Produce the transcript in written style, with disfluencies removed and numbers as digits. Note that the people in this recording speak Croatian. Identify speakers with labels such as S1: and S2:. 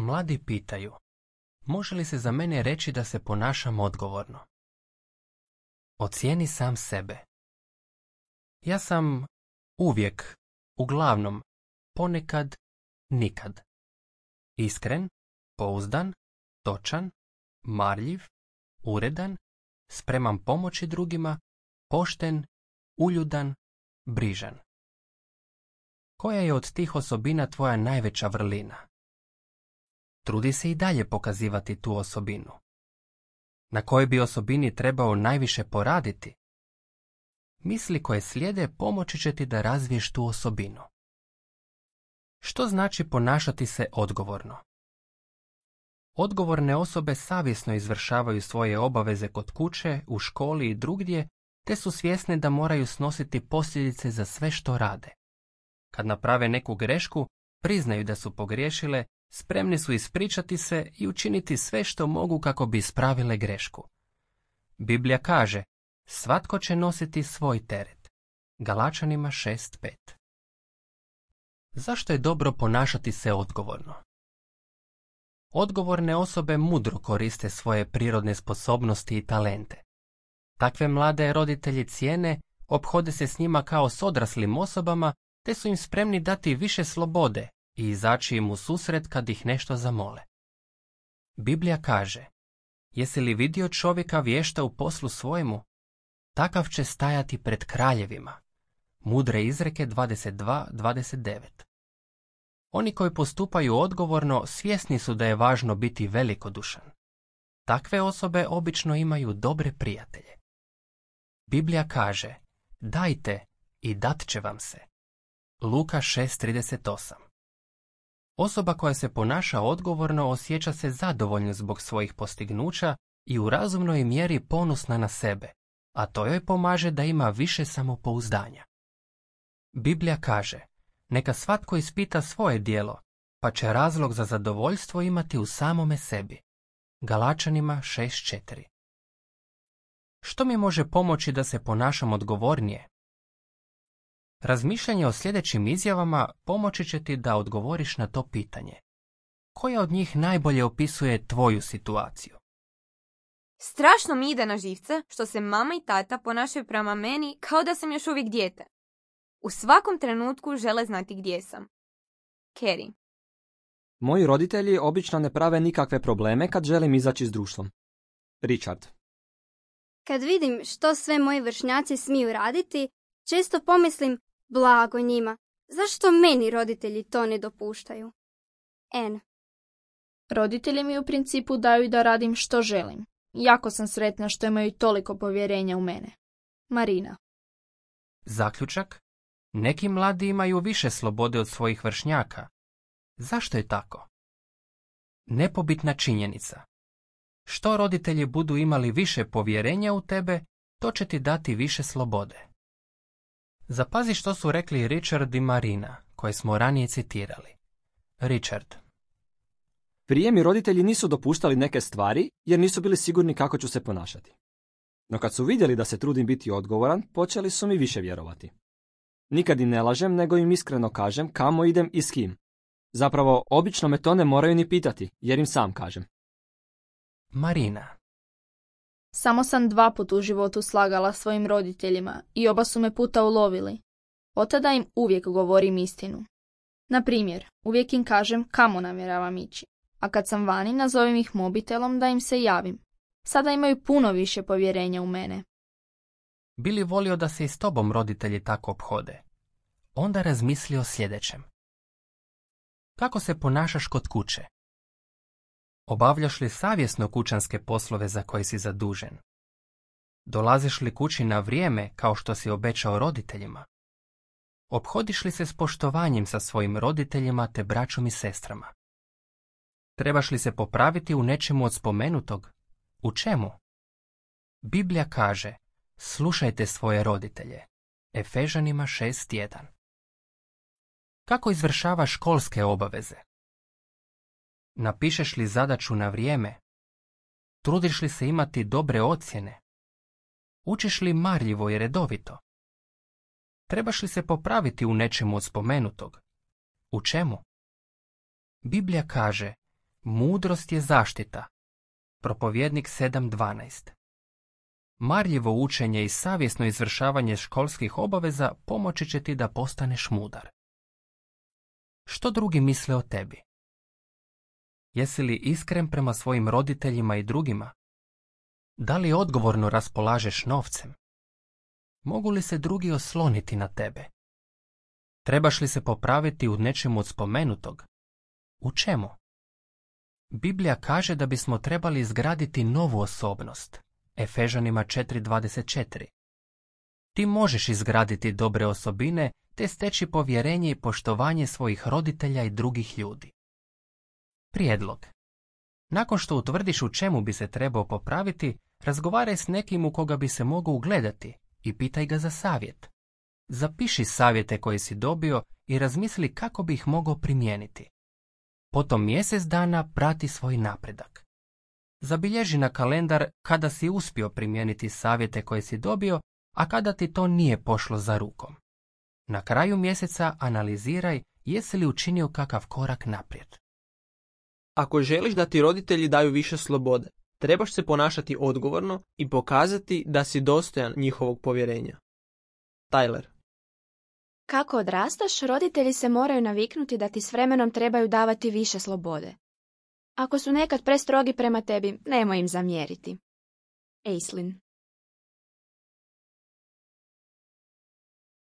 S1: Mladi pitaju, može li se za mene reći da se ponašam odgovorno? Ocijeni sam sebe. Ja sam uvijek, uglavnom, ponekad, nikad. Iskren, pouzdan, točan, marljiv, uredan, spreman pomoći drugima, pošten, uljudan, brižan. Koja je od tih osobina tvoja najveća vrlina? Trudi se i dalje pokazivati tu osobinu. Na kojoj bi osobini trebao najviše poraditi? Misli koje slijede pomoći će ti da razviješ tu osobinu. Što znači ponašati se odgovorno? Odgovorne osobe savjesno izvršavaju svoje obaveze kod kuće, u školi i drugdje, te su svjesne da moraju snositi posljedice za sve što rade. Kad naprave neku grešku, priznaju da su pogriješile, spremni su ispričati se i učiniti sve što mogu kako bi ispravile grešku. Biblija kaže, svatko će nositi svoj teret. Galačanima 6:5. Zašto je dobro ponašati se odgovorno? Odgovorne osobe mudro koriste svoje prirodne sposobnosti i talente. Takve mlade roditelji cijene, ophode se s njima kao s odraslim osobama, te su im spremni dati više slobode i izaći im u susret kad ih nešto zamole. Biblija kaže, jesi li vidio čovjeka vješta u poslu svojemu? Takav će stajati pred kraljevima. Mudre izreke 22:29. Oni koji postupaju odgovorno svjesni su da je važno biti velikodušan. Takve osobe obično imaju dobre prijatelje. Biblija kaže, dajte i dat će vam se. Luka 6:38. Osoba koja se ponaša odgovorno osjeća se zadovoljno zbog svojih postignuća i u razumnoj mjeri ponosna na sebe, a to joj pomaže da ima više samopouzdanja. Biblija kaže, neka svatko ispita svoje djelo, pa će razlog za zadovoljstvo imati u samome sebi. Galačanima 6:4. Što mi može pomoći da se ponašam odgovornije? Razmišljanje o sljedećim izjavama pomoći će ti da odgovoriš na to pitanje. Koja od njih najbolje opisuje tvoju situaciju?
S2: Strašno mi ide na živce što se mama i tata ponašaju prema meni kao da sam još uvijek dijete. U svakom trenutku žele znati gdje sam. Carrie.
S3: Moji roditelji obično ne prave nikakve probleme kad želim izaći s društvom. Richard.
S4: Kad vidim što sve moji vršnjaci smiju raditi, često pomislim, blago njima, zašto meni roditelji to ne dopuštaju? Anne.
S5: Roditelji mi u principu daju da radim što želim. Jako sam sretna što imaju toliko povjerenja u mene. Marina.
S1: Zaključak? Neki mladi imaju više slobode od svojih vršnjaka. Zašto je tako? Nepobitna činjenica. Što roditelji budu imali više povjerenja u tebe, to će ti dati više slobode. Zapazi što su rekli Richard i Marina, koje smo ranije citirali. Richard.
S3: Prije mi roditelji nisu dopuštali neke stvari jer nisu bili sigurni kako ću se ponašati. No kad su vidjeli da se trudim biti odgovoran, počeli su mi više vjerovati. Nikad im ne lažem, nego im iskreno kažem kamo idem i s kim. Zapravo, obično me to ne moraju ni pitati, jer im sam kažem.
S1: Marina.
S5: Samo sam 2 puta u životu slagala svojim roditeljima i oba su me puta ulovili. Od tada im uvijek govorim istinu. Na primjer, uvijek im kažem kamo namjeravam ići, a kad sam vani nazovem ih mobitelom da im se javim. Sada imaju puno više povjerenja u mene.
S1: Bi li volio da se i s tobom roditelji tako ophode? Onda razmisli o sljedećem. Kako se ponašaš kod kuće? Obavljaš li savjesno kućanske poslove za koje si zadužen? Dolaziš li kući na vrijeme kao što si obećao roditeljima? Ophodiš li se s poštovanjem sa svojim roditeljima te braćom i sestrama? Trebaš li se popraviti u nečemu od spomenutog? U čemu? Biblija kaže, slušajte svoje roditelje. Efežanima 6:1. Kako izvršavaš školske obaveze? Napišeš li zadaću na vrijeme? Trudiš li se imati dobre ocjene? Učiš li marljivo i redovito? Trebaš li se popraviti u nečemu od spomenutog? U čemu? Biblija kaže, Mudrost je zaštita. Propovjednik 7.12. Marljivo učenje i savjesno izvršavanje školskih obaveza pomoći će ti da postaneš mudar. Što drugi misle o tebi? Jesi li iskren prema svojim roditeljima i drugima? Da li odgovorno raspolažeš novcem? Mogu li se drugi osloniti na tebe? Trebaš li se popraviti u nečemu od spomenutog? U čemu? Biblija kaže da bismo trebali izgraditi novu osobnost. Efežanima 4.24. Ti možeš izgraditi dobre osobine te steći povjerenje i poštovanje svojih roditelja i drugih ljudi. Prijedlog. Nakon što utvrdiš u čemu bi se trebao popraviti, razgovaraj s nekim u koga bi se mogao ugledati i pitaj ga za savjet. Zapiši savjete koje si dobio i razmisli kako bi ih mogao primijeniti. Potom mjesec dana prati svoj napredak. Zabilježi na kalendar kada si uspio primijeniti savjete koje si dobio, a kada ti to nije pošlo za rukom. Na kraju mjeseca analiziraj jesi li učinio kakav korak naprijed.
S6: Ako želiš da ti roditelji daju više slobode, trebaš se ponašati odgovorno i pokazati da si dostojan njihovog povjerenja. Tyler.
S7: Kako odrastaš, roditelji se moraju naviknuti da ti s vremenom trebaju davati više slobode. Ako su nekad prestrogi prema tebi, nemoj im zamjeriti. Aislinn.